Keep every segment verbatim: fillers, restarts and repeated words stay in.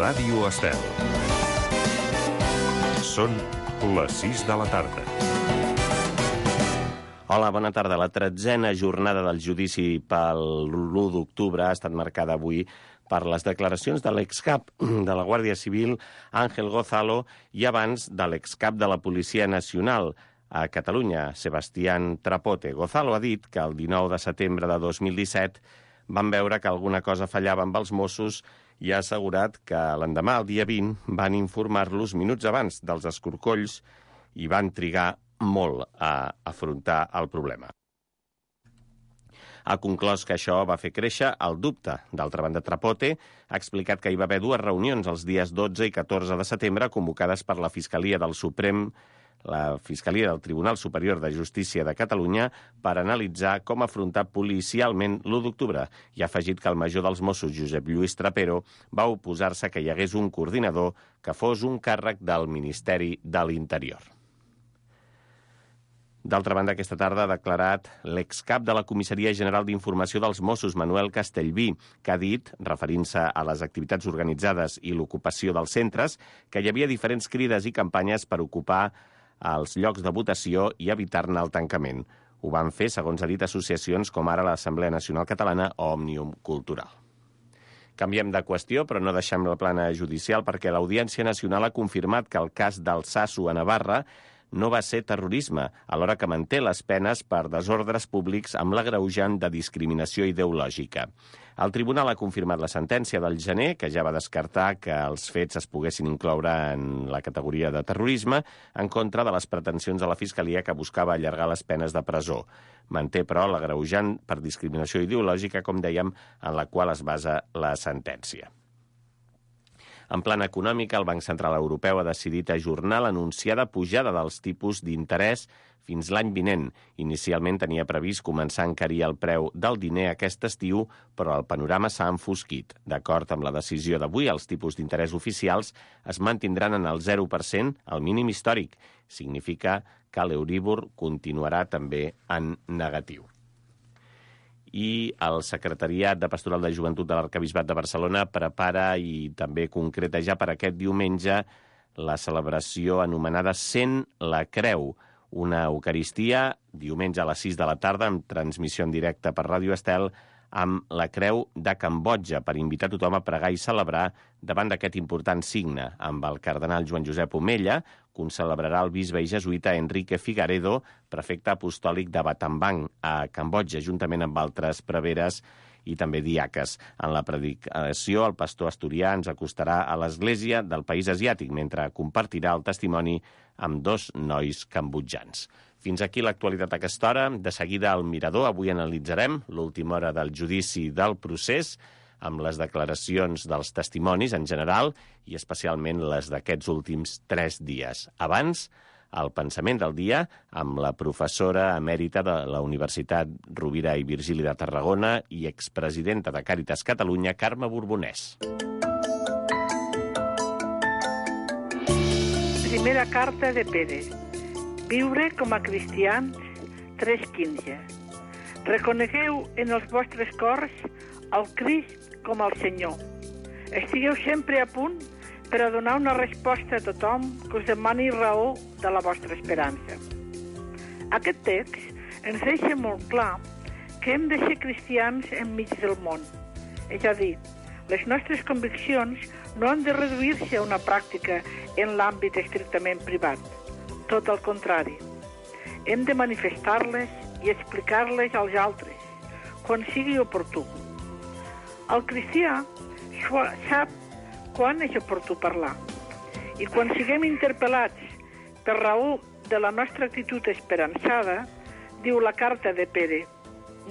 Ràdio Estel. Són les sis de la tarda. Hola, bona tarda. La tretzena jornada del judici pel l'u d'octubre ha estat marcada avui per les declaracions de l'excap de la Guàrdia Civil, Ángel Gozalo, i abans de l'excap de la Policia Nacional a Catalunya, Sebastián Trapote. Gozalo ha dit que el dinou de setembre de dos mil disset van veure que alguna cosa fallava amb els Mossos i ha assegurat que l'endemà, el dia vint, van informar-los minuts abans dels escorcolls i van trigar molt a afrontar el problema. Ha conclòs que això va fer créixer el dubte. D'altra banda, Trapote ha explicat que hi va haver dues reunions els dies dotze i catorze de setembre convocades per la Fiscalia del Suprem, la Fiscalia del Tribunal Superior de Justícia de Catalunya, per analitzar com afrontar policialment l'u d'octubre, i ha afegit que el major dels Mossos, Josep Lluís Trapero, va oposar-se que hi hagués un coordinador que fos un càrrec del Ministeri de l'Interior. D'altra banda, aquesta tarda ha declarat l'excap de la Comissaria General d'Informació dels Mossos, Manuel Castellví, que ha dit, referint-se a les activitats organitzades i l'ocupació dels centres, que hi havia diferents crides i campanyes per ocupar els llocs de votació i evitar-ne el tancament. Ho van fer, segons ha dit, associacions com ara l'Assemblea Nacional Catalana o Òmnium Cultural. Canviem de qüestió, però no deixem la plana judicial, perquè l'Audiència Nacional ha confirmat que el cas d'Altsasu a Navarra no va ser terrorisme, alhora que manté les penes per desordres públics amb l'agreujant de discriminació ideològica. El tribunal ha confirmat la sentència del gener, que ja va descartar que els fets es poguessin incloure en la categoria de terrorisme, en contra de les pretensions de la Fiscalia, que buscava allargar les penes de presó. Manté, però, l'agreujant per discriminació ideològica, com dèiem, en la qual es basa la sentència. En plan econòmic, el Banc Central Europeu ha decidit ajornar l'anunciada pujada dels tipus d'interès fins l'any vinent. Inicialment tenia previst començar a encarir el preu del diner aquest estiu, però el panorama s'ha enfosquit. D'acord amb la decisió d'avui, els tipus d'interès oficials es mantindran en el zero per cent, el mínim històric. Significa que l'Euríbor continuarà també en negatiu. I el Secretariat de Pastoral de Joventut de l'Arquebisbat de Barcelona prepara i també concreta ja per aquest diumenge la celebració anomenada Sent la Creu, una eucaristia diumenge a les sis de la tarda amb transmissió en directe per Ràdio Estel amb la Creu de Cambodja per invitar tothom a pregar i celebrar davant d'aquest important signe. Amb el cardenal Joan Josep Omella concelebrarà el bisbe i jesuïta Enrique Figaredo, prefecte apostòlic de Battambang, a Cambodja, juntament amb altres preveres i també diaques. En la predicació, el pastor asturià ens acostarà a l'església del país asiàtic, mentre compartirà el testimoni amb dos nois cambodjans. Fins aquí l'actualitat a aquesta hora. De seguida al Mirador. Avui analitzarem l'última hora del judici del procés, amb les declaracions dels testimonis en general i especialment les d'aquests últims tres dies. Abans, el pensament del dia amb la professora emèrita de la Universitat Rovira i Virgili de Tarragona i expresidenta de Càritas Catalunya, Carme Borbonès. Primera carta de Pere. Viure com a cristians, tres quinze. Reconegueu en els vostres cors el Crist com el Senyor. Estigueu sempre a punt per a donar una resposta a tothom que us demani raó de la vostra esperança. Aquest text ens deixa molt clar que hem de ser cristians enmig del món. És a dir, les nostres conviccions no han de reduir-se a una pràctica en l'àmbit estrictament privat. Tot el contrari. Hem de manifestar-les i explicar-les als altres, quan sigui oportú. El cristià sap quan és oportú parlar. I quan siguem interpel·lats per raó de la nostra actitud esperançada, diu la carta de Pere,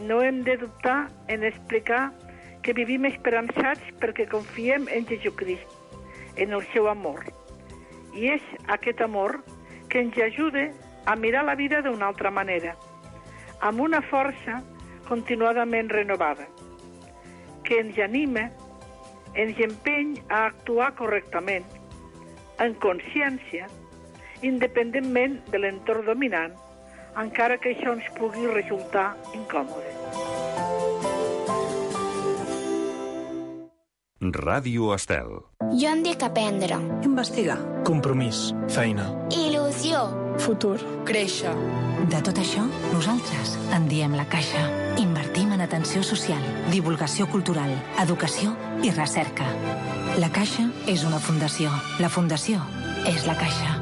no hem de dubtar en explicar que vivim esperançats perquè confiem en Jesucrist, en el seu amor. I és aquest amor que ens ajuda a mirar la vida d'una altra manera, amb una força continuadament renovada, que ens anima, ens empeny a actuar correctament, en consciència, independentment de l'entorn dominant, encara que això ens pugui resultar incòmode. Ràdio Estel. Jo em dic aprendre. Investigar. Compromís. Feina. Il·lusió. Futur. Créixer. De tot això, nosaltres en diem La Caixa. Invertim en atenció social, divulgació cultural, educació i recerca. La Caixa és una fundació. La fundació és La Caixa.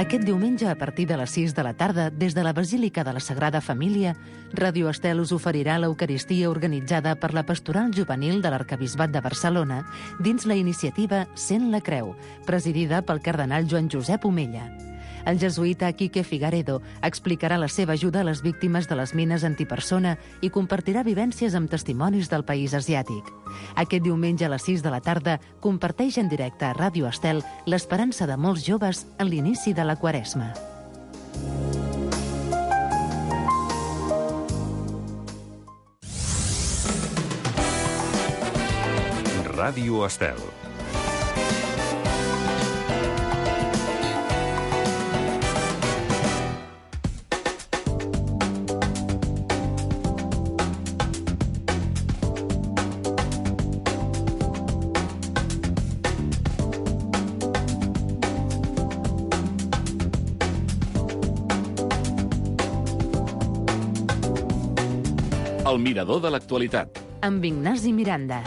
Aquest diumenge, a partir de les sis de la tarda, des de la Basílica de la Sagrada Família, Ràdio Estel us oferirà l'Eucaristia organitzada per la Pastoral Juvenil de l'Arquebisbat de Barcelona dins la iniciativa Sent la Creu, presidida pel cardenal Joan Josep Omella. El jesuïta Quique Figaredo explicarà la seva ajuda a les víctimes de les mines antipersona i compartirà vivències amb testimonis del país asiàtic. Aquest diumenge a les sis de la tarda comparteix en directe a Ràdio Estel l'esperança de molts joves en l'inici de la Quaresma. Ràdio Estel. El mirador de l'actualitat. Amb Ignasi Miranda.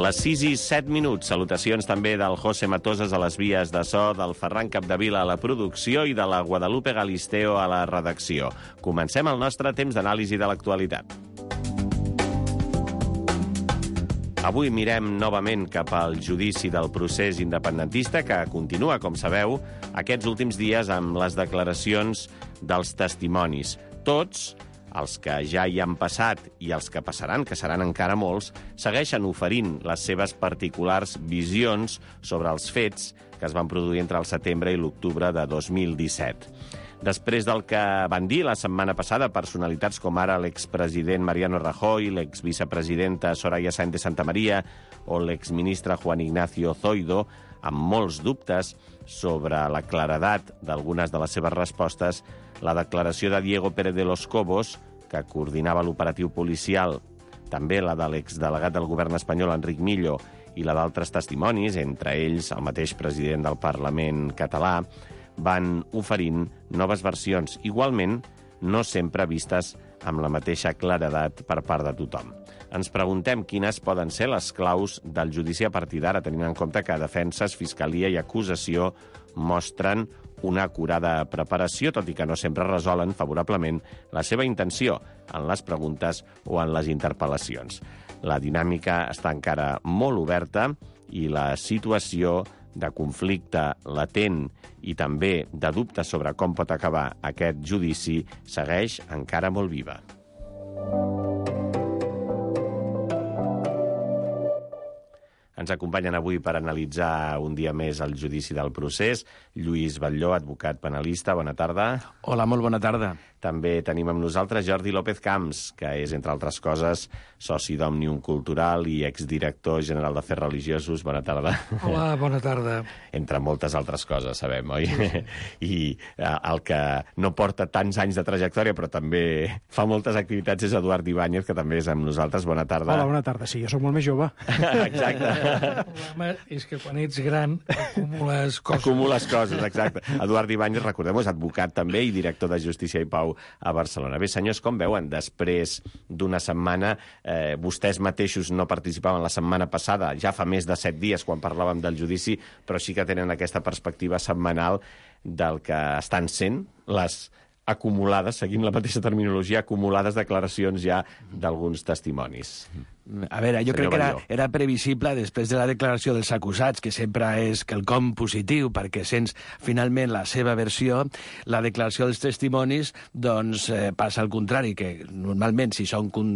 Les sis i set minuts. Salutacions també del José Matoses a les vies de so, del Ferran Capdevila a la producció i de la Guadalupe Galisteo a la redacció. Comencem el nostre temps d'anàlisi de l'actualitat. Avui mirem novament cap al judici del procés independentista que continua, com sabeu, aquests últims dies amb les declaracions dels testimonis. Tots, els que ja hi han passat i els que passaran, que seran encara molts, segueixen oferint les seves particulars visions sobre els fets que es van produir entre el setembre i l'octubre de dos mil disset. Després del que van dir la setmana passada personalitats com ara l'expresident Mariano Rajoy, l'exvicepresidenta Soraya Sáenz de Santamaría o l'exministre Juan Ignacio Zoido, amb molts dubtes sobre la claredat d'algunes de les seves respostes, la declaració de Diego Pérez de los Cobos, que coordinava l'operatiu policial, també la de l'exdelegat del govern espanyol, Enric Millo, i la d'altres testimonis, entre ells el mateix president del Parlament català, van oferint noves versions, igualment no sempre vistes amb la mateixa claredat per part de tothom. Ens preguntem quines poden ser les claus del judici a partir d'ara, tenint en compte que defenses, fiscalia i acusació mostren una acurada preparació, tot i que no sempre resolen favorablement la seva intenció en les preguntes o en les interpel·lacions. La dinàmica està encara molt oberta i la situació de conflicte latent i també de dubte sobre com pot acabar aquest judici segueix encara molt viva. Ens acompanyen avui per analitzar un dia més el judici del procés Lluís Batlló, advocat penalista. Bona tarda. Hola, molt bona tarda. També tenim amb nosaltres Jordi López Camps, que és, entre altres coses, soci d'Òmnium Cultural i exdirector general d'Afers Religiosos. Bona tarda. Hola, bona tarda. Entre moltes altres coses, sabem, oi? I el que no porta tants anys de trajectòria, però també fa moltes activitats, és Eduard Ibáñez, que també és amb nosaltres. Bona tarda. Hola, bona tarda. Sí, jo soc molt més jove. Exacte. El problema és que quan ets gran acumules coses. Acumules coses, exacte. Eduard Ibáñez, recordem-ho, és advocat també i director de Justícia i Pau a Barcelona. Bé, senyors, com veuen, després d'una setmana, eh, vostès mateixos no participaven la setmana passada, ja fa més de set dies quan parlàvem del judici, però sí que tenen aquesta perspectiva setmanal del que estan sent les acumulades, seguint la mateixa terminologia, acumulades declaracions ja d'alguns testimonis. A veure, jo Senyor crec que era, Batlló. era previsible, després de la declaració dels acusats, que sempre és quelcom positiu, perquè sents finalment la seva versió, la declaració dels testimonis doncs, eh, passa al contrari, que normalment, si són con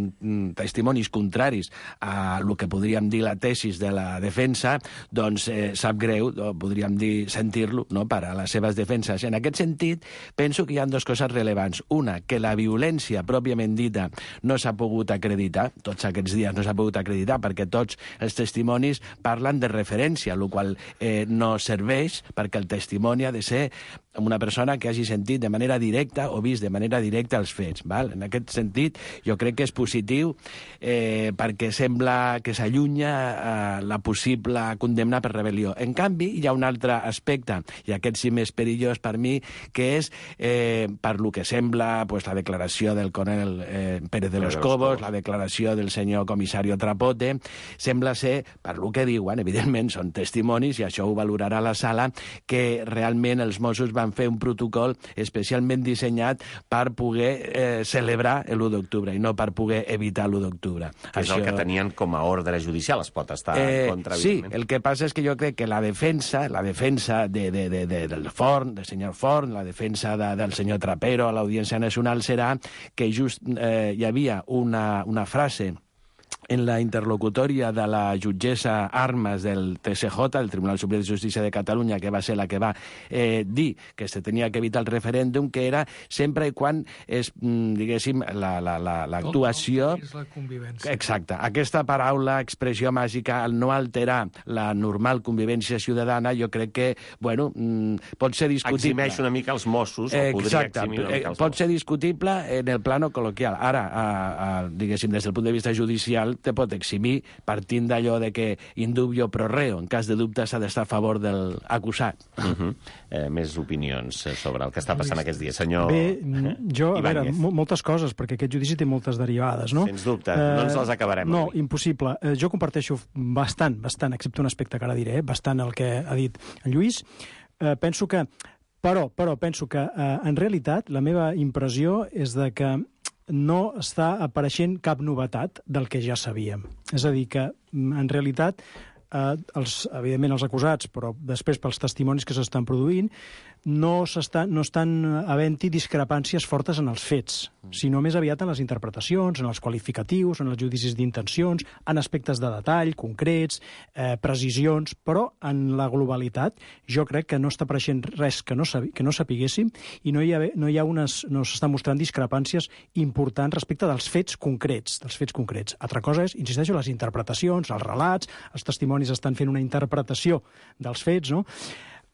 testimonis contraris a el que podríem dir la tesis de la defensa, doncs eh, sap greu, o podríem dir sentir-lo, no?, per a les seves defenses. En aquest sentit, penso que hi ha dues coses rellevants. Una, que la violència pròpiament dita no s'ha pogut acreditar, tots aquests dies no s'ha pogut acreditar, perquè tots els testimonis parlen de referència, el qual eh, no serveix perquè el testimoni ha de ser una persona que hagi sentit de manera directa o vist de manera directa els fets. Val? En aquest sentit, jo crec que és positiu eh, perquè sembla que s'allunya eh, la possible condemna per rebel·lió. En canvi, hi ha un altre aspecte, i aquest sí més perillós per mi, que és, eh, per lo que sembla, pues, la declaració del coronel eh, Pérez de los Cobos, la declaració del senyor comissari Trapote, sembla ser, per lo que diuen, evidentment són testimonis, i això ho valorarà la sala, que realment els Mossos van fer un protocol especialment dissenyat per poder eh, celebrar l'u d'octubre i no per poder evitar l'u d'octubre. Que és Això... el que tenien com a ordre judicial, es pot estar eh, en contra, sí, evidentment. El que passa és que jo crec que la defensa, la defensa de, de, de, de, del Forn, del senyor Forn, la defensa de, del senyor Trapero a l'Audiència Nacional serà que just eh, hi havia una, una frase en la interlocutòria de la jutgessa Armas del T S J, el Tribunal Superior de Justícia de Catalunya, que va ser la que va eh, dir que se tenia que evitar el referèndum, que era sempre i quan és, diguéssim, l'actuació... La, la, la, la convivència. Exacte. Aquesta paraula, expressió màgica, al no alterar la normal convivència ciutadana, jo crec que, bueno, pot ser discutible. Eximeix una mica els Mossos, o podria Exacte. eximir una mica els Pot Mossos. ser discutible en el plano col·loquial. Ara, a, a, diguéssim, des del punt de vista judicial, te pot eximir partint d'allò de que indubio pro reo, en cas de dubte s'ha d'estar a favor del acusat. Uh -huh. eh, més opinions sobre el que està passant aquests dies. Senyor Bé, jo, a veure, Ibáñez. moltes coses, perquè aquest judici té moltes derivades, no? Sens dubte, no ens les acabarem No, avui. impossible. Eh, jo comparteixo bastant, bastant, excepte un aspecte que ara diré, eh, bastant el que ha dit en Lluís. Eh, penso que, però, però penso que, eh, en realitat, la meva impressió és de que no està apareixent cap novetat del que ja sabíem. És a dir, que en realitat, eh, els, evidentment els acusats, però després pels testimonis que s'estan produint, no, no estan havent-hi discrepàncies fortes en els fets, sinó més aviat en les interpretacions, en els qualificatius, en els judicis d'intencions, en aspectes de detall, concrets, eh, precisions, però en la globalitat jo crec que no està apareixent res que no, que no sapiguéssim i no hi ha, no hi ha unes, no s'estan mostrant discrepàncies importants respecte dels fets concrets, dels fets concrets. Altra cosa és, insisteixo, les interpretacions, els relats, els testimonis estan fent una interpretació dels fets, no?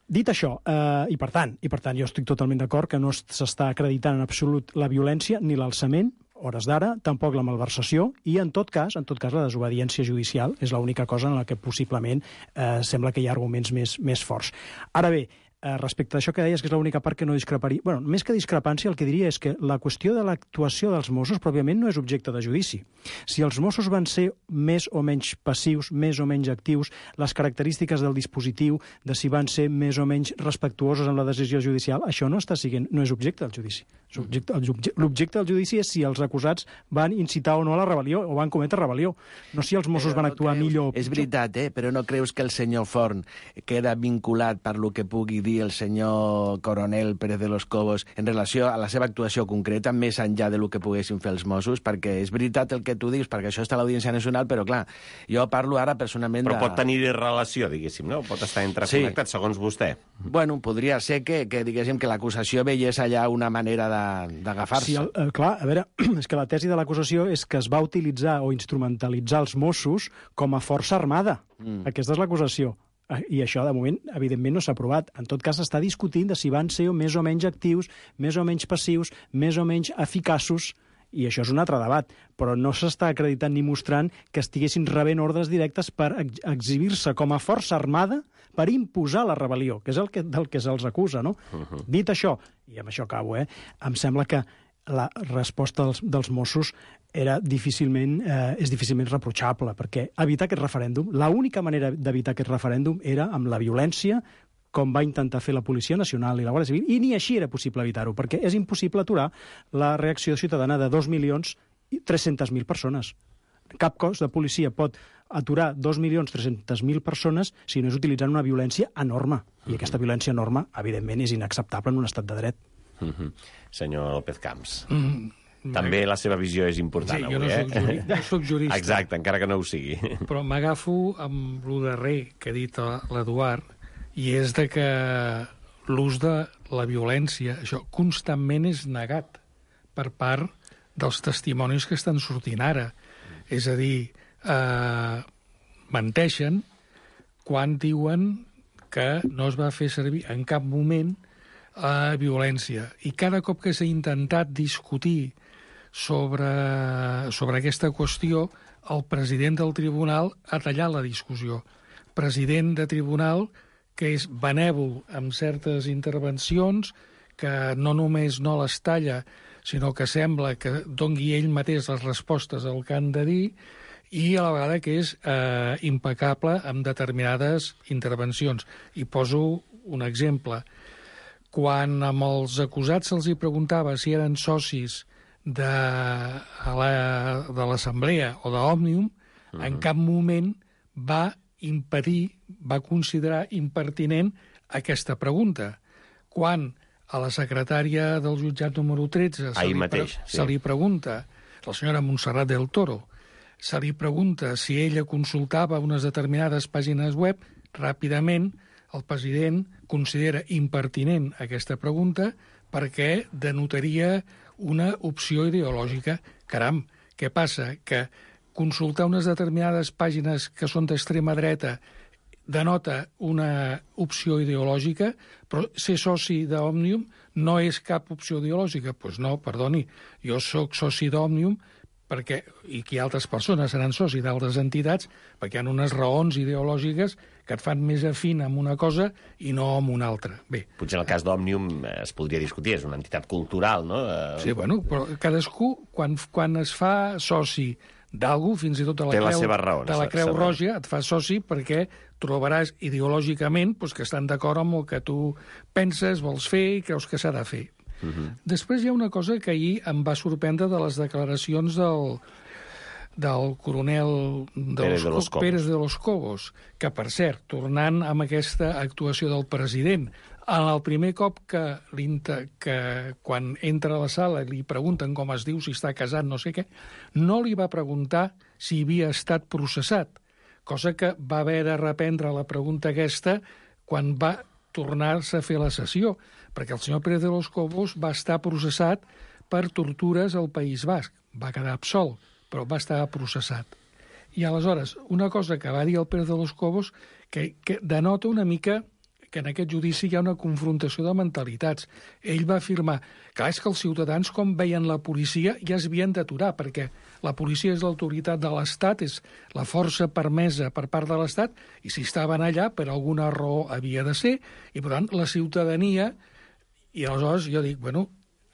Dit això, eh, i per tant, i per tant, jo estic totalment d'acord que no s'està acreditant en absolut la violència ni l'alçament, hores d'ara, tampoc la malversació, i en tot cas, en tot cas la desobediència judicial és l'única cosa en la que possiblement eh, sembla que hi ha arguments més, més forts. Ara bé, eh, respecte a això que deies, que és l'única part que no discreparia... Bueno, més que discrepància, el que diria és que la qüestió de l'actuació dels Mossos pròpiament no és objecte de judici. Si els Mossos van ser més o menys passius, més o menys actius, les característiques del dispositiu, de si van ser més o menys respectuosos amb la decisió judicial, això no està siguent, no és objecte del judici. L'objecte del judici és si els acusats van incitar o no a la rebel·lió, o van cometre rebel·lió, no si els Mossos Però van no actuar creus, millor o És pitjor. veritat, eh? Però no creus que el senyor Forn queda vinculat per lo que pugui dir el senyor coronel Pérez de los Cobos en relació a la seva actuació concreta, més enllà de lo que poguessin fer els Mossos? Perquè és veritat el que tu dius, perquè això està a l'Audiència Nacional, però clar, jo parlo ara personalment Però de... pot tenir relació, diguéssim, no? Pot estar interconnectat, sí. Segons vostè. Bueno, podria ser que, que diguéssim, que l'acusació veiés allà una manera d'agafar-se. Sí, el, el, clar, a veure, és que la tesi de l'acusació és que es va utilitzar o instrumentalitzar els Mossos com a força armada. Mm. Aquesta és l'acusació. I això, de moment, evidentment no s'ha aprovat. En tot cas, s'està discutint de si van ser més o menys actius, més o menys passius, més o menys eficaços, i això és un altre debat, però no s'està acreditant ni mostrant que estiguessin rebent ordres directes per ex exhibir-se com a força armada per imposar la rebel·lió, que és el que, del que se'ls acusa, no? Uh-huh. Dit això, i amb això acabo, eh, em sembla que la resposta dels, dels Mossos era difícilment, eh, és difícilment reprotxable, perquè evitar aquest referèndum, l'única manera d'evitar aquest referèndum era amb la violència, com va intentar fer la Policia Nacional i la Guàrdia Civil, i ni així era possible evitar-ho, perquè és impossible aturar la reacció ciutadana de dos milions tres-centes mil persones. Cap cos de policia pot aturar dos milions tres-centes mil persones si no és utilitzant una violència enorme. I mm-hmm. aquesta violència enorme, evidentment, és inacceptable en un estat de dret. Mm-hmm. Senyor López Camps. Mm, També la seva visió és important, sí, avui, jo no eh? soc juri, no soc jurista. Exacte, encara que no ho sigui. Però m'agafo amb el darrer que ha dit l'Eduard, i és de que l'ús de la violència, això constantment és negat per part dels testimonis que estan sortint ara. És a dir, eh, menteixen quan diuen que no es va fer servir en cap moment la violència. I cada cop que s'ha intentat discutir sobre, sobre aquesta qüestió, el president del tribunal ha tallat la discussió. President de tribunal que és benèvol amb certes intervencions, que no només no les talla, sinó que sembla que dongui ell mateix les respostes al que han de dir, i a la vegada que és eh, impecable amb determinades intervencions. I poso un exemple. Quan amb els acusats se'ls hi preguntava si eren socis de, la, de l'Assemblea o d'Òmnium, uh-huh. en cap moment va impedir, va considerar impertinent aquesta pregunta. Quan a la secretària del jutjat número tretze se, li, mateix, pre sí. se li pregunta, la senyora Montserrat del Toro, se li pregunta si ella consultava unes determinades pàgines web, ràpidament el president considera impertinent aquesta pregunta perquè denotaria una opció ideològica. Caram, què passa? Que consultar unes determinades pàgines que són d'extrema dreta denota una opció ideològica, però ser soci d'Òmnium no és cap opció ideològica. Doncs pues no, perdoni, jo sóc soci d'Òmnium perquè, i que altres persones seran soci d'altres entitats, perquè hi ha unes raons ideològiques que et fan més afín amb una cosa i no amb una altra. Bé. Potser el cas d'Òmnium es podria discutir, és una entitat cultural, no? Sí, bueno, però cadascú, quan, quan es fa soci d'algú, fins i tot de la, creu, raons, de la Creu Roja, et fa soci perquè trobaràs ideològicament pues, que estan d'acord amb el que tu penses, vols fer i creus que s'ha de fer. Uh-huh. Després hi ha una cosa que ahir em va sorprendre de les declaracions del, del coronel de Pérez, los, de los Pérez de los Cobos, que, per cert, tornant amb aquesta actuació del president, en el primer cop que, que quan entra a la sala li pregunten com es diu, si està casat, no sé què, no li va preguntar si havia estat processat, cosa que va haver de reprendre la pregunta aquesta quan va tornar-se a fer la sessió, perquè el senyor Pérez de los Cobos va estar processat per tortures al País Basc. Va quedar absolt, però va estar processat. I aleshores, una cosa que va dir el Pérez de los Cobos que, que denota una mica que en aquest judici hi ha una confrontació de mentalitats. Ell va afirmar que és que els ciutadans, com veien la policia, ja es havien d'aturar, perquè la policia és l'autoritat de l'Estat, és la força permesa per part de l'Estat, i si estaven allà, per alguna raó havia de ser, i per tant la ciutadania... I aleshores jo dic, bueno,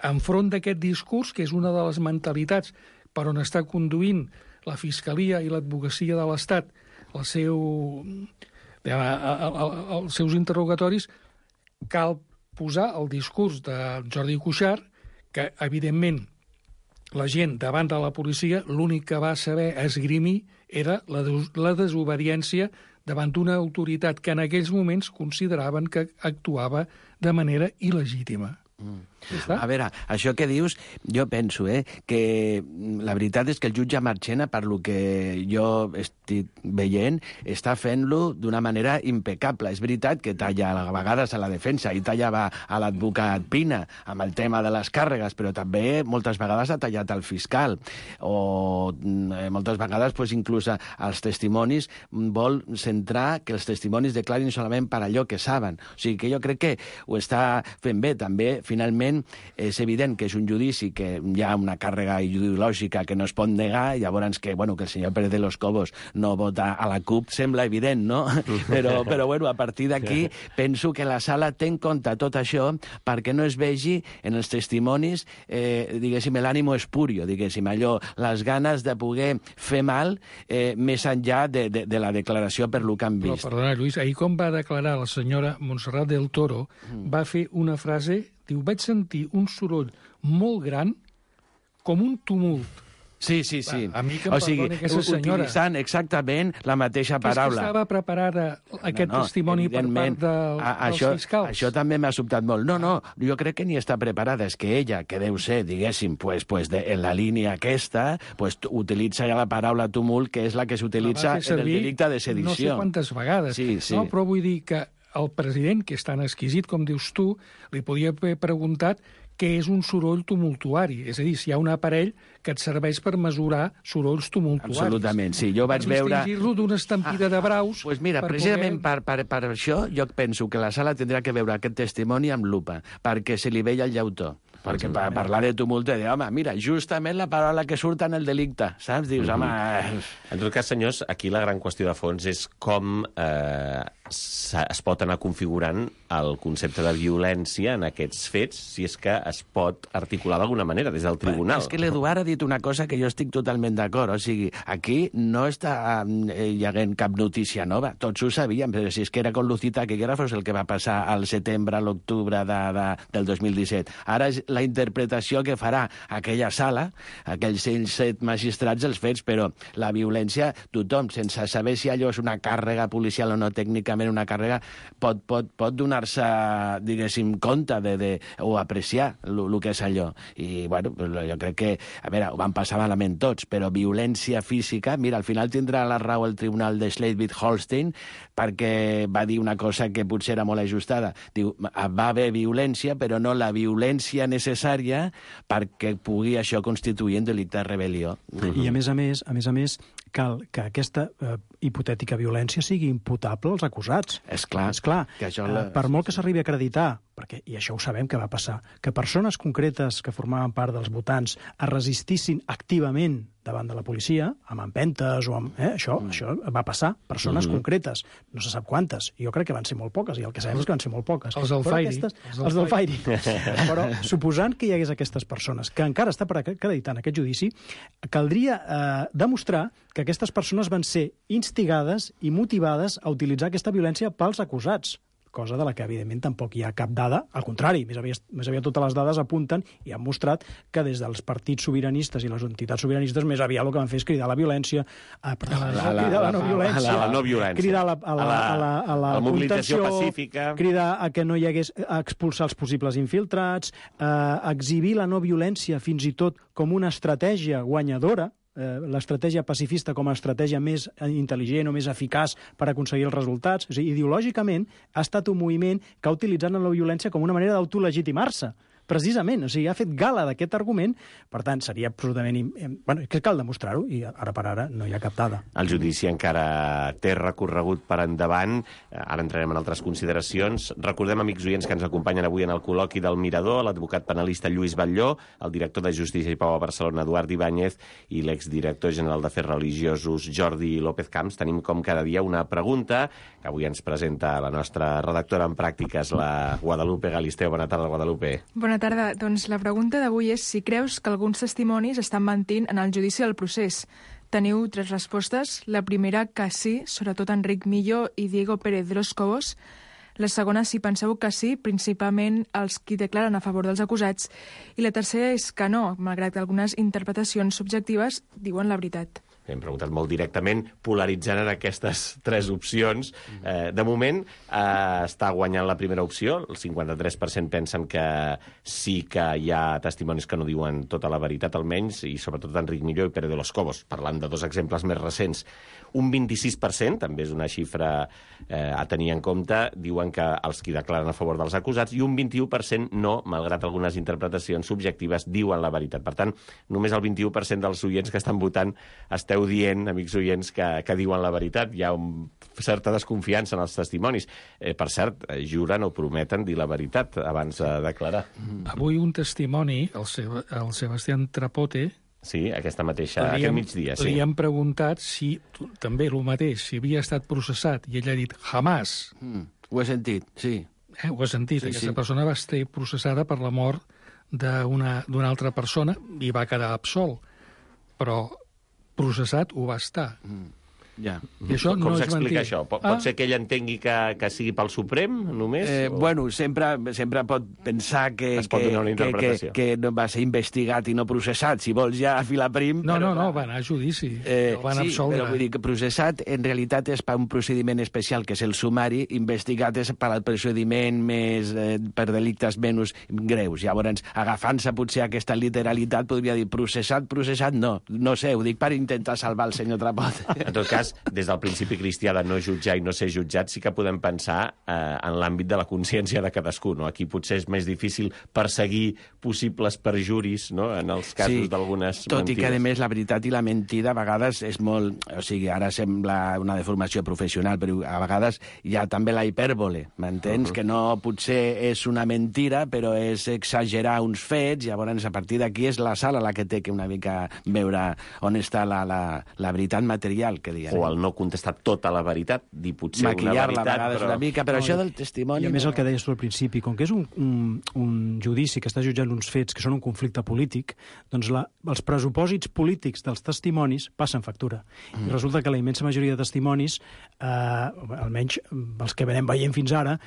enfront d'aquest discurs, que és una de les mentalitats per on està conduint la Fiscalia i l'advocacia de l'Estat, el seu... els seus interrogatoris, cal posar el discurs de Jordi Cuixart, que, evidentment, la gent davant de la policia l'únic que va saber esgrimir era la, des la desobediència davant d'una autoritat que en aquells moments consideraven que actuava de manera il·legítima. Mm. A veure, això que dius, jo penso eh, que la veritat és que el jutge Marchena, per lo que jo estic veient, està fent-lo d'una manera impecable. És veritat que talla a vegades a la defensa i tallava a l'advocat Pina amb el tema de les càrregues, però també moltes vegades ha tallat el fiscal. O eh, moltes vegades, pues, inclús als testimonis, vol centrar que els testimonis declarin solament per allò que saben. O sigui que jo crec que ho està fent bé. També, finalment, finalment és evident que és un judici que hi ha una càrrega ideològica que no es pot negar, llavors que, bueno, que el senyor Pérez de los Cobos no vota a la CUP sembla evident, no? Però, però bueno, a partir d'aquí penso que la sala té en compte tot això perquè no es vegi en els testimonis, eh, diguéssim, l'ànimo espurio, diguéssim, allò, les ganes de poder fer mal eh, més enllà de, de, de la declaració per lo que han vist. Però, perdona, Lluís, ahir com va declarar la senyora Montserrat del Toro, mm. va fer una frase, diu, vaig sentir un soroll molt gran com un tumult. Sí, sí, sí. A mi que em o sigui, senyora. Utilitzant exactament la mateixa paraula. És que estava preparada aquest no, no, testimoni per part del, a, dels això, fiscals. Això també m'ha sobtat molt. No, no, jo crec que ni està preparada. És que ella, que deu ser, diguéssim, pues, pues de, en la línia aquesta, pues, utilitza ja la paraula tumult, que és la que s'utilitza en el delicte de sedició. No sé quantes vegades. Sí, sí. No, però vull dir que el president, que és tan exquisit com dius tu, li podia haver preguntat què és un soroll tumultuari. És a dir, si hi ha un aparell que et serveix per mesurar sorolls tumultuaris. Absolutament, sí. Jo vaig veure... Per distingir-lo d'una estampida ah, de braus... Doncs pues mira, per precisament poder... per, per, per això jo penso que la sala tindrà que veure aquest testimoni amb lupa, perquè se li veia el llautó. Perquè per parlar de tumult, de dir, home, mira, justament la paraula que surt en el delicte, saps? Dius, home... En tot cas, senyors, aquí la gran qüestió de fons és com eh, es pot anar configurant el concepte de violència en aquests fets, si és que es pot articular d'alguna manera des del tribunal. És que l'Eduard ha dit una cosa que jo estic totalment d'acord. O sigui, aquí no està eh, hi haguent cap notícia nova. Tots ho sabíem, però si és que era con Lucita Taquígrafos el que va passar al setembre, a l'octubre de, de, del dos mil disset. Ara és la interpretació que farà aquella sala, aquells set magistrats els fets, però la violència, tothom, sense saber si allò és una càrrega policial o no, tècnicament una càrrega, pot, pot, pot donar-se, diguéssim, compte de, de, o apreciar el que és allò. I, bueno, jo crec que, a veure, ho van passar malament tots, però violència física, mira, al final tindrà la raó el tribunal de Schleswig-Holstein perquè va dir una cosa que potser era molt ajustada. Diu, va haver violència, però no la violència necessària perquè pugui això constituir un delicte de rebel·lió. I a més a més, a més a més, cal que aquesta eh, hipotètica violència sigui imputable als acusats. És clar. És clar. Que això la... eh, per molt que s'arribi a acreditar, perquè, i això ho sabem que va passar, que persones concretes que formaven part dels votants es resistissin activament davant de la policia, amb empentes o amb... Eh, això, mm. això va passar. Persones mm-hmm. concretes. No se sap quantes. Jo crec que van ser molt poques, i el que sabem és que van ser molt poques. Els del Fairi. Aquestes, els del Fairi. Però, suposant que hi hagués aquestes persones, que encara està per acreditar en aquest judici, caldria eh, demostrar que aquestes persones van ser instigades i motivades a utilitzar aquesta violència pels acusats, cosa de la que, evidentment, tampoc hi ha cap dada. Al contrari, més aviat, més aviat totes les dades apunten i han mostrat que des dels partits sobiranistes i les entitats sobiranistes més aviat el que van fer és cridar a la violència, a, perdó, la, la, cridar a la, la no violència, la, la no violència, cridar a la, a la, a la, a la, a la, la mobilització contenció, pacífica, cridar a que no hi hagués, a expulsar els possibles infiltrats, a exhibir la no violència fins i tot com una estratègia guanyadora, Eh, l'estratègia pacifista com a estratègia més intel·ligent o més eficaç per aconseguir els resultats. És a dir, ideològicament ha estat un moviment que ha utilitzat la violència com una manera d'autolegitimar-se. Precisament, o sigui, ha fet gala d'aquest argument, per tant, seria absolutament... Bueno, que cal demostrar-ho, i ara per ara no hi ha cap dada. El judici encara té recorregut per endavant, ara entrarem en altres consideracions. Recordem, amics oients, que ens acompanyen avui en el col·loqui del Mirador, l'advocat penalista Lluís Batlló, el director de Justícia i Pau a Barcelona, Eduard Ibáñez, i l'exdirector general d'Afers Religiosos, Jordi López Camps. Tenim, com cada dia, una pregunta que avui ens presenta la nostra redactora en pràctiques, la Guadalupe Galisteo. Bona tarda, Guadalupe. Bona tarda. Doncs la pregunta d'avui és si creus que alguns testimonis estan mentint en el judici del procés. Teniu tres respostes. La primera, que sí, sobretot Enric Millo i Diego Pérez de los Cobos. La segona, si penseu que sí, principalment els qui declaren a favor dels acusats. I la tercera és que no, malgrat que algunes interpretacions subjectives diuen la veritat. Hem preguntat molt directament, polaritzant en aquestes tres opcions. Eh, de moment, eh, està guanyant la primera opció. El cinquanta-tres per cent pensen que sí que hi ha testimonis que no diuen tota la veritat, almenys, i sobretot Enric Millo i Pérez de los Cobos, parlant de dos exemples més recents. Un vint-i-sis per cent, també és una xifra eh, a tenir en compte, diuen que els qui declaren a favor dels acusats, i un vint-i-u per cent no, malgrat algunes interpretacions subjectives, diuen la veritat. Per tant, només el vint-i-u per cent dels oients que estan votant estem esteu dient, amics oients, que, que diuen la veritat. Hi ha un, certa desconfiança en els testimonis. Eh, per cert, juren o prometen dir la veritat abans de declarar. Avui un testimoni, el, Seb el Sebastián Trapote, sí, aquesta mateixa, aquest hem, migdia, sí. Li han preguntat si, també el mateix, si havia estat processat, i ell ha dit, jamás. Mm, ho he sentit, sí. Eh, ho he sentit. Sí, Aquesta sí. persona va ser processada per la mort d'una altra persona i va quedar absolt. Però processat ho va estar. Mm. Ja. I això Com no és s'explica mentir. això? Pot, Ah. pot ser que ell entengui que, que sigui pel Suprem, només? Eh, o... bueno, sempre, sempre pot pensar que, Es pot que, donar una que, que, interpretació. que no va ser investigat i no processat, si vols ja a filar prim. No, però, no, no, clar, va anar a judici. Eh, El van sí, absoldre. però vull dir que processat en realitat és per un procediment especial, que és el sumari, investigat és per al procediment més eh, per delictes menys greus. Llavors, agafant-se potser aquesta literalitat, podria dir processat, processat, no. No sé, ho dic per intentar salvar el senyor Trapot. En tot cas, des del principi cristià de no jutjar i no ser jutjat, sí que podem pensar eh, en l'àmbit de la consciència de cadascú. No? Aquí potser és més difícil perseguir possibles perjuris, no? En els casos Sí, d'algunes mentides. tot i que, a més, la veritat i la mentida a vegades és molt... O sigui, ara sembla una deformació professional, però a vegades hi ha també la hipèrbole, m'entens? Uh -huh. Que no potser és una mentira, però és exagerar uns fets, llavors a partir d'aquí és la sala la que té que una mica veure on està la, la, la veritat material, que diguem. O el no contestar tota la veritat, dir potser una Maquillar-la a veritat, vegades però... una mica, però No, això i- del testimoni... I a més no. el que deies tu al principi, com que és un, un, un judici que està jutjant uns fets que són un conflicte polític, doncs la, els pressupòsits polítics dels testimonis passen factura. Mm. I resulta que la immensa majoria de testimonis, eh, almenys els que venem veient fins ara,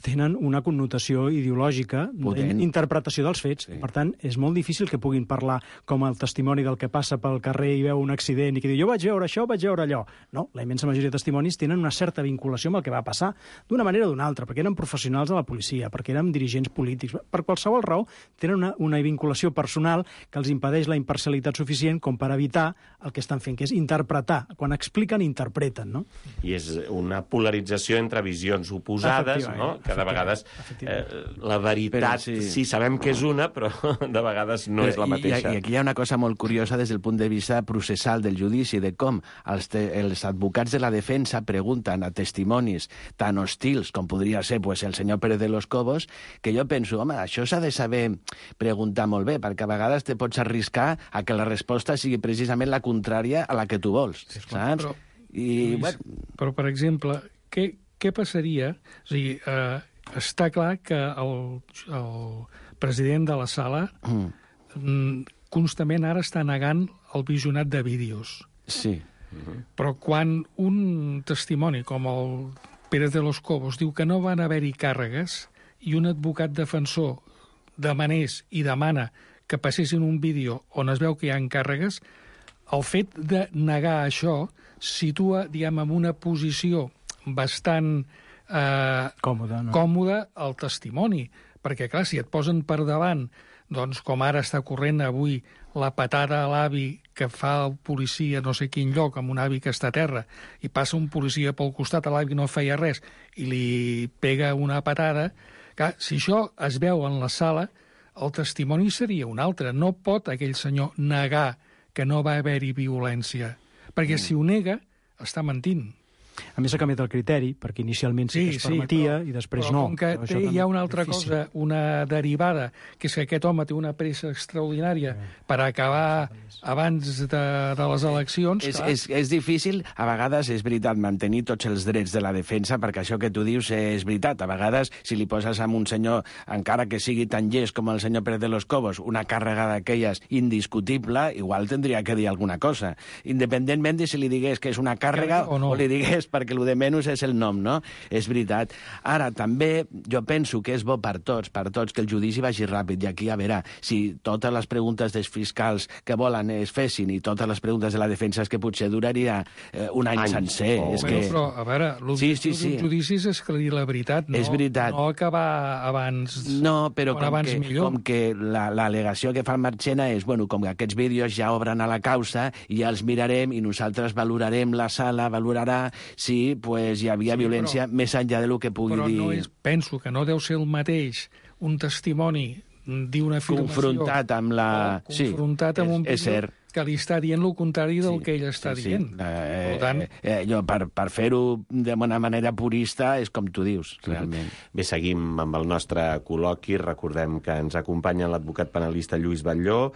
tenen una connotació ideològica, Potent. interpretació dels fets. Sí. Per tant, és molt difícil que puguin parlar com el testimoni del que passa pel carrer i veu un accident i que diu jo vaig veure això, vaig veure allò. No, la immensa majoria de testimonis tenen una certa vinculació amb el que va passar, d'una manera o d'una altra, perquè eren professionals de la policia, perquè eren dirigents polítics. Per qualsevol raó, tenen una, una vinculació personal que els impedeix la imparcialitat suficient com per evitar el que estan fent, que és interpretar. Quan expliquen, interpreten, no? I és una polarització entre visions oposades, no? Que de vegades eh, la veritat, Però sí. sí. sí, sabem que és una, però de vegades no és la I- mateixa. I, I aquí hi ha una cosa molt curiosa des del punt de vista processal del judici, de com els, te, els advocats de la defensa pregunten a testimonis tan hostils com podria ser pues, el senyor Pérez de los Cobos, que jo penso, home, això s'ha de saber preguntar molt bé, perquè a vegades te pots arriscar a que la resposta sigui precisament la contrària a la que tu vols, Sí, saps? Però, I, Lluís, bueno, però, per exemple, què, què passaria... O sigui, eh, està clar que el, el president de la sala mm. constantment ara està negant el visionat de vídeos. sí. Però quan un testimoni com el Pérez de los Cobos diu que no van haver-hi càrregues i un advocat defensor demanés i demana que passessin un vídeo on es veu que hi ha càrregues, el fet de negar això situa, diguem, en una posició bastant eh, Còmode, no? còmode el testimoni. Perquè, clar, si et posen per davant, doncs, com ara està corrent avui, la patada a l'avi que fa el policia no sé quin lloc, amb un avi que està a terra, i passa un policia pel costat, a l'avi no feia res, i li pega una patada, clar, si això es veu en la sala, el testimoni seria un altre. No pot aquell senyor negar que no va haver-hi violència, perquè si ho nega, està mentint. A més, s'ha canviat el criteri, perquè inicialment sí, sí que es permetia però, i després però no. com que Però té, això hi ha també una és altra difícil. cosa, una derivada, que és que aquest home té una pressa extraordinària per acabar abans de, de les eleccions... És, clar. és, és difícil, a vegades és veritat, mantenir tots els drets de la defensa, perquè això que tu dius és veritat. A vegades, si li poses a un senyor, encara que sigui tan llest com el senyor Pérez de los Cobos, una càrrega d'aquelles indiscutible, igual tindria que dir alguna cosa. Independentment de si li digués que és una càrrega o no. o li digués perquè el de menys és el nom, no? És veritat. Ara, també, jo penso que és bo per tots, per tots, que el judici vagi ràpid. I aquí, a veure, si totes les preguntes dels fiscals que volen es fessin i totes les preguntes de la defensa és que potser duraria eh, un any Anys. sencer. Oh. És Bueno, que... però, a veure, l'objectiu Sí, sí, sí. d'un judici és esclarir la veritat, no, És veritat. no acabar abans... No, però quan com abans que, millor. com que l'al·legació que fa el Marchena és, bueno, com que aquests vídeos ja obren a la causa i ja els mirarem i nosaltres valorarem, la sala valorarà si pues, hi havia Sí, violència però- més enllà de lo que pugui Però dir... no és, penso que no deu ser el mateix un testimoni dir una afirmació... Confrontat amb la... o confrontat sí, amb un és, és vídeo cert. que li està dient el contrari del Sí, que ell està sí, sí. dient. Eh, Per tant, eh, eh, jo, per, per fer-ho d'una manera purista és com tu dius, realment. Bé, seguim amb el nostre col·loqui. Recordem que ens acompanya l'advocat penalista Lluís Batlló,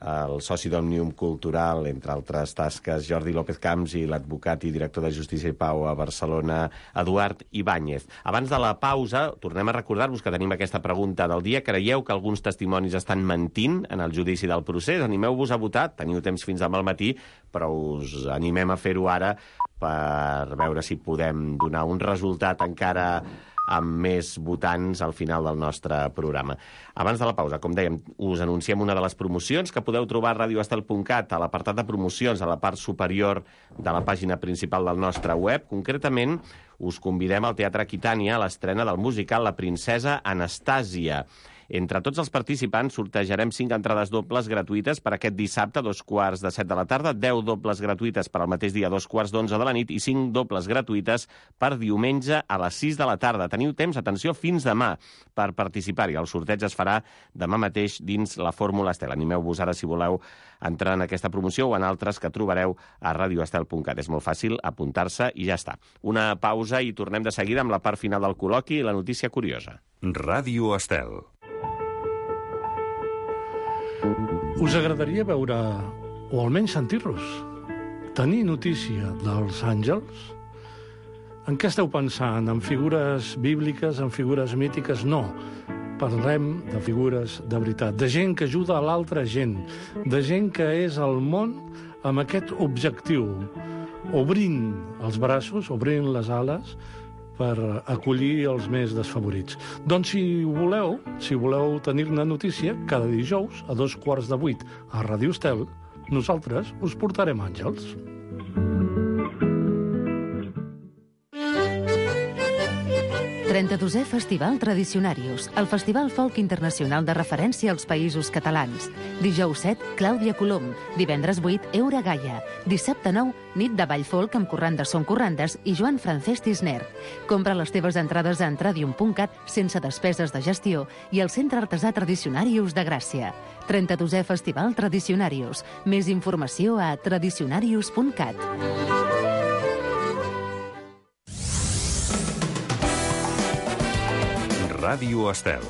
el soci d'Òmnium Cultural, entre altres tasques, Jordi López Camps, i l'advocat i director de Justícia i Pau a Barcelona, Eduard Ibáñez. Abans de la pausa, tornem a recordar-vos que tenim aquesta pregunta del dia. Creieu que alguns testimonis estan mentint en el judici del procés? Animeu-vos a votar, teniu temps fins demà al matí, però us animem a fer-ho ara per veure si podem donar un resultat encara amb més votants al final del nostre programa. Abans de la pausa, com dèiem, us anunciem una de les promocions que podeu trobar a radio estel punt cat, a l'apartat de promocions, a la part superior de la pàgina principal del nostre web. Concretament, us convidem al Teatre Aquitània a l'estrena del musical La princesa Anastàsia. Entre tots els participants sortejarem cinc entrades dobles gratuïtes per aquest dissabte a dos quarts de set de la tarda, deu dobles gratuïtes per al mateix dia a dos quarts d'onze de la nit i cinc dobles gratuïtes per diumenge a les sis de la tarda. Teniu temps, atenció, fins demà per participar-hi. El sorteig es farà demà mateix dins la Fórmula Estel. Animeu-vos ara si voleu entrar en aquesta promoció o en altres que trobareu a radio estel punt cat. És molt fàcil apuntar-se i ja està. Una pausa i tornem de seguida amb la part final del col·loqui i la notícia curiosa. Ràdio Estel. Us agradaria veure, o almenys sentir-los, tenir notícia dels àngels? En què esteu pensant? En figures bíbliques, en figures mítiques? No. Parlem de figures de veritat, de gent que ajuda a l'altra gent, de gent que és al món amb aquest objectiu, obrint els braços, obrint les ales, per acollir els més desfavorits. Doncs si voleu, si voleu tenir-ne notícia, cada dijous a dos quarts de vuit a Ràdio Estel, nosaltres us portarem àngels. trenta-dosè Festival Tradicionarius, el festival folk internacional de referència als països catalans. Dijous set, Clàudia Colom. Divendres vuit, Eura Gaia. Dissabte nou, nit de ball folk amb corrandes són corrandes i Joan Francesc Tisner. Compra les teves entrades a entradium punt cat sense despeses de gestió i al Centre Artesà Tradicionarius de Gràcia. trenta-dosè Festival Tradicionarius. Més informació a tradicionarius punt cat. Ràdio Estel.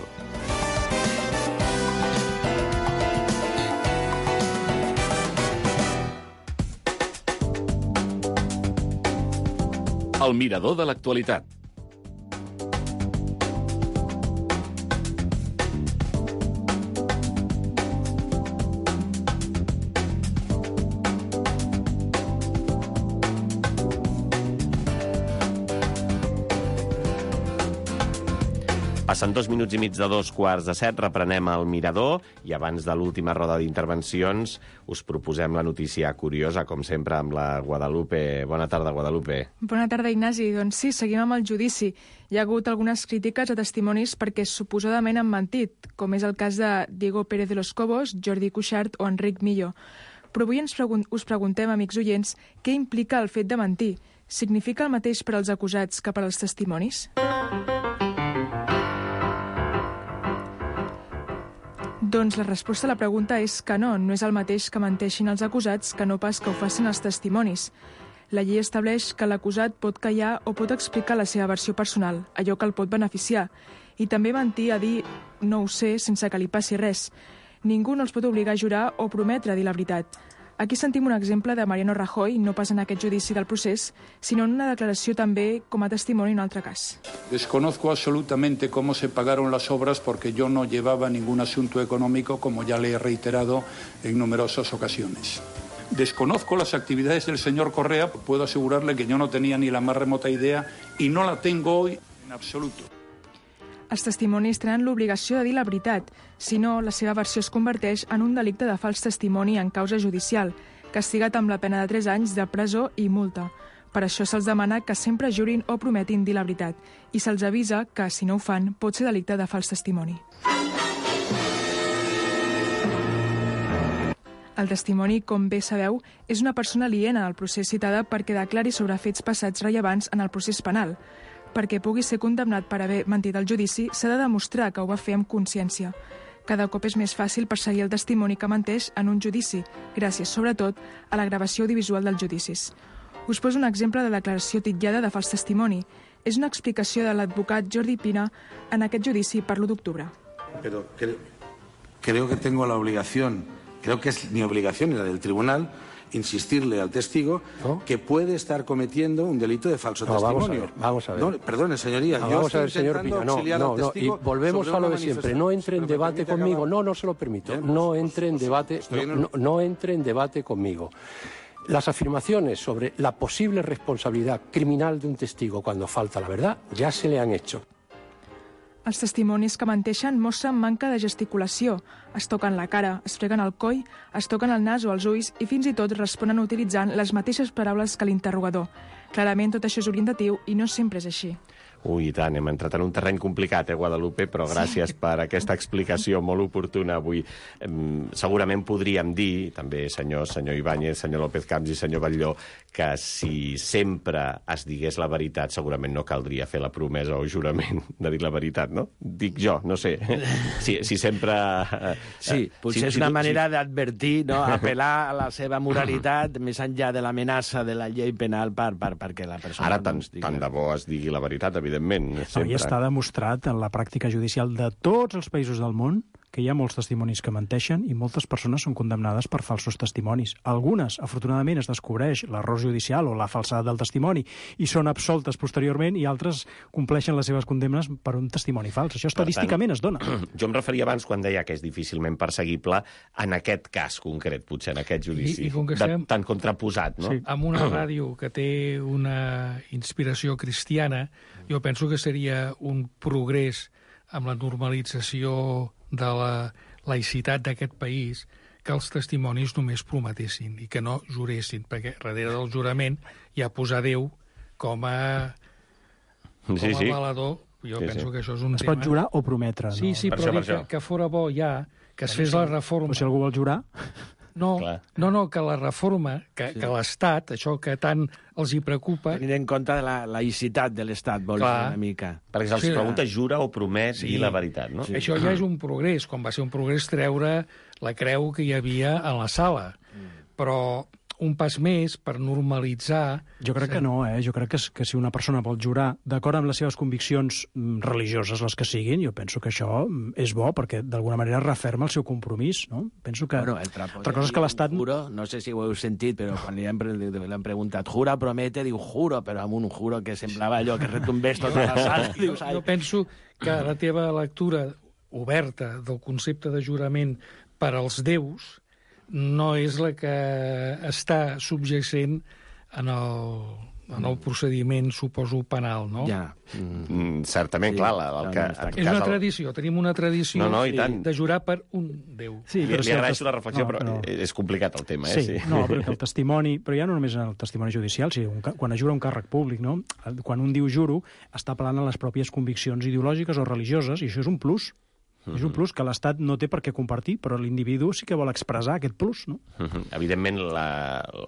El mirador de l'actualitat. Passen dos minuts i mig de dos quarts de set, reprenem el mirador i abans de l'última roda d'intervencions us proposem la notícia curiosa, com sempre, amb la Guadalupe. Bona tarda, Guadalupe. Bona tarda, Ignasi. Doncs sí, seguim amb el judici. Hi ha hagut algunes crítiques a testimonis perquè suposadament han mentit, com és el cas de Diego Pérez de los Cobos, Jordi Cuixart o Enric Millo. Però avui ens pregun- us preguntem, amics oients, què implica el fet de mentir? Significa el mateix per als acusats que per als testimonis? Doncs la resposta a la pregunta és que no, no és el mateix que menteixin els acusats que no pas que ho facin els testimonis. La llei estableix que l'acusat pot callar o pot explicar la seva versió personal, allò que el pot beneficiar, i també mentir a dir no ho sé sense que li passi res. Ningú no els pot obligar a jurar o prometre dir la veritat. Aquí sentim un exemple de Mariano Rajoy, no pas en aquest judici del procés, sinó en una declaració també com a testimoni en un altre cas. Desconozco absolutamente cómo se pagaron las obras porque yo no llevaba ningún asunto económico, como ya le he reiterado en numerosas ocasiones. Desconozco las actividades del señor Correa, puedo asegurarle que yo no tenía ni la más remota idea y no la tengo hoy en absoluto. Els testimonis tenen l'obligació de dir la veritat, si no, la seva versió es converteix en un delicte de fals testimoni en causa judicial, castigat amb la pena de tres anys de presó i multa. Per això se'ls demana que sempre jurin o prometin dir la veritat, i se'ls avisa que, si no ho fan, pot ser delicte de fals testimoni. El testimoni, com bé sabeu, és una persona aliena al procés citada perquè declari sobre fets passats rellevants en el procés penal. Perquè pugui ser condemnat per haver mentit al judici, s'ha de demostrar que ho va fer amb consciència. Cada cop és més fàcil perseguir el testimoni que menteix en un judici, gràcies, sobretot, a la gravació audiovisual dels judicis. Us poso un exemple de declaració titllada de fals testimoni. És una explicació de l'advocat Jordi Pina en aquest judici per l'u d'octubre. Pero creo, creo que tengo la obligación, creo que es mi obligación y la del tribunal, insistirle al testigo ¿no? que puede estar cometiendo un delito de falso no, testimonio. Vamos a ver, vamos a ver. No, perdone, señoría, no, yo vamos estoy a ver, señor Pina, no, no, no, y volvemos a lo de siempre. No entre en debate conmigo, no, no se lo permito. Bien, no entre en debate, no, no, no entre en debate conmigo. Las afirmaciones sobre la posible responsabilidad criminal de un testigo cuando falta la verdad ya se le han hecho. Els testimonis que menteixen mostren manca de gesticulació. Es toquen la cara, es freguen el coll, es toquen el nas o els ulls i fins i tot responen utilitzant les mateixes paraules que l'interrogador. Clarament tot això és orientatiu i no sempre és així. Ui, i tant, hem entrat en un terreny complicat, eh, Guadalupe, però gràcies sí. per aquesta explicació molt oportuna avui. Segurament podríem dir, també senyor, senyor Ibáñez, senyor López Camps i senyor Batlló, que si sempre es digués la veritat, segurament no caldria fer la promesa o jurament de dir la veritat, no? Dic jo, no sé. Si, si sempre... Sí, potser si, és una si, manera si... d'advertir, no? Apel·lar a la seva moralitat més enllà de l'amenaça de la llei penal per, per, perquè la persona... Ara tant, no tant de bo es digui la veritat, evidentment. No, i està demostrat en la pràctica judicial de tots els països del món que hi ha molts testimonis que menteixen i moltes persones són condemnades per falsos testimonis. Algunes, afortunadament, es descobreix l'error judicial o la falsedat del testimoni i són absoltes posteriorment i altres compleixen les seves condemnes per un testimoni fals. Això estadísticament es dona. Jo em referia abans quan deia que és difícilment perseguible en aquest cas concret, potser, en aquest judici. I, i com que de, estem... tan contraposat, no? Sí. Amb una ràdio que té una inspiració cristiana, jo penso que seria un progrés amb la normalització de la laïcitat d'aquest país que els testimonis només prometessin i que no juressin, perquè darrere del jurament hi ha posar Déu com a, com sí, sí. a valedor. Jo sí, penso sí. que això és un es tema... Es pot jurar o prometre, no? Sí, sí, per però això, que, que fora bo ja que es fes la reforma... Però si algú vol jurar... No, no, no, que la reforma, que, sí. que l'Estat, això que tant els hi preocupa... Tenint en compte la laïcitat de l'Estat, vol dir una mica. Perquè se'ls sí, pregunta, jura o promet sí. dir la veritat, no? Sí. Això ja és un progrés, com va ser un progrés treure la creu que hi havia a la sala. Però un pas més per normalitzar... Jo crec que no, eh? Jo crec que, que si una persona vol jurar d'acord amb les seves conviccions religioses, les que siguin, jo penso que això és bo, perquè d'alguna manera referma el seu compromís, no? Penso que... Bueno, altra cosa és que l'Estat... Juro, no sé si ho heu sentit, però quan li han, li han preguntat jura, promete, diu juro, però amb un juro que semblava allò que retumbés tota la sala. Jo, jo penso que la teva lectura oberta del concepte de jurament per als déus no és la que està subjacent en el, en el procediment, suposo, penal, no? Ja. Mm, certament, sí, clar. La, el que, és una el... tradició, tenim una tradició no, no, i tant. de jurar per un déu. Sí, li, li agraeixo la reflexió, no, però, però és complicat el tema. Sí, eh? Sí. No, perquè el testimoni, però ja no només en el testimoni judicial, sinó quan es jura un càrrec públic, no? Quan un diu juro, està apel·lant a les pròpies conviccions ideològiques o religioses, i això és un plus. Uh-huh. És un plus que l'Estat no té per què compartir, però l'individu sí que vol expressar aquest plus, no? Uh-huh. Evidentment, la,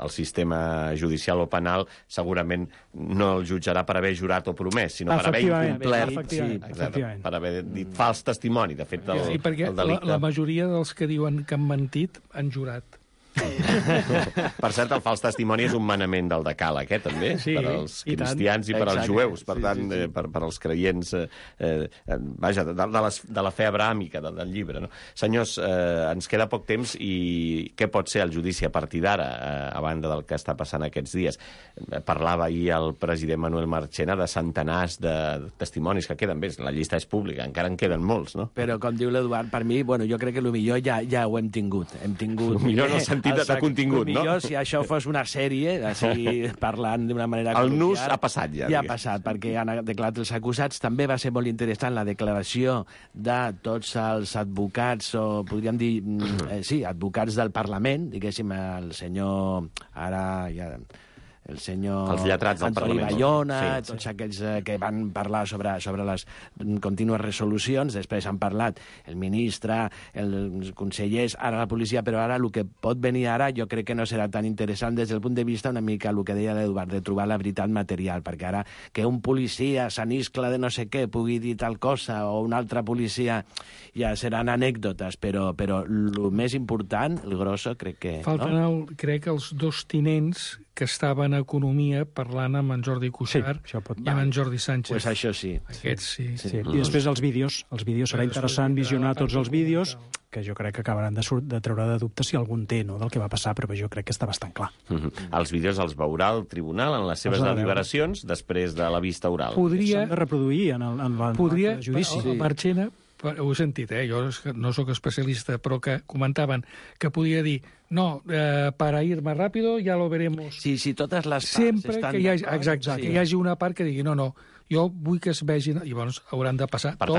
el sistema judicial o penal segurament no el jutjarà per haver jurat o promès, sinó per haver incomplert... Efectivament, sí, efectivament. Per haver dit fals testimoni, de fet, del, sí, perquè el delicte. La, la majoria dels que diuen que han mentit han jurat. Per cert, el fals testimoni és un manament del decàleg, eh, també, sí, per als cristians i, i per als jueus, per tant, sí, sí, sí. Eh, per, per als creients, eh, eh, vaja, de, de, les, de la fe abrahàmica del, del llibre. No? Senyors, eh, ens queda poc temps i què pot ser el judici a partir d'ara, eh, a banda del que està passant aquests dies? Eh, parlava ahir el president Manuel Marchena de centenars de testimonis que queden bé, la llista és pública, encara en queden molts, no? Però, com diu l'Eduard, per mi, bueno, jo crec que el millor ja, ja ho hem tingut. Hem tingut... El millor no sentit de, de contingut, no? Millor, si això fos una sèrie, així parlant d'una manera... El nus ha passat ja. Ja ha passat, perquè han declarat els acusats. També va ser molt interessant la declaració de tots els advocats, o podríem dir, eh, sí, advocats del Parlament, diguéssim, el senyor... Ara ja... el senyor els lletrats del Antoni Parlament. Bayona, Sí, tots aquells eh, que van parlar sobre, sobre les contínues resolucions, després han parlat el ministre, els consellers, ara la policia, però ara el que pot venir ara jo crec que no serà tan interessant des del punt de vista una mica el que deia l'Eduard, de trobar la veritat material, perquè ara que un policia s'aniscla de no sé què pugui dir tal cosa o un altre policia ja seran anècdotes, però, però el més important, el grosso, crec que... Falten, no? el, crec, els dos tinents que estaven a Economia parlant amb en Jordi Cuixart sí, pot... i amb en Jordi Sánchez. Pues això sí. Aquests sí. sí. sí. I després els vídeos. Els vídeos serà interessant visionar tots els vídeos, que jo crec que acabaran de, de treure de dubte si algun té, no?, del que va passar, però jo crec que està bastant clar. Mm-hmm. Els vídeos els veurà el tribunal en les seves Els ha de deliberacions després de la vista oral. Podria... S'han de reproduir en el, en el, Podria, el judici. El, el Marchena, ho he sentit, eh? Jo no sóc especialista, però que comentaven que podia dir no, eh, para ir más rápido ya lo veremos. Sí, sí, totes les parts Sempre estan que hi hagi, d'acord, exacte, sí. que hi hagi una part que digui no, no, jo vull que es vegin, i llavors hauran de passar Per tot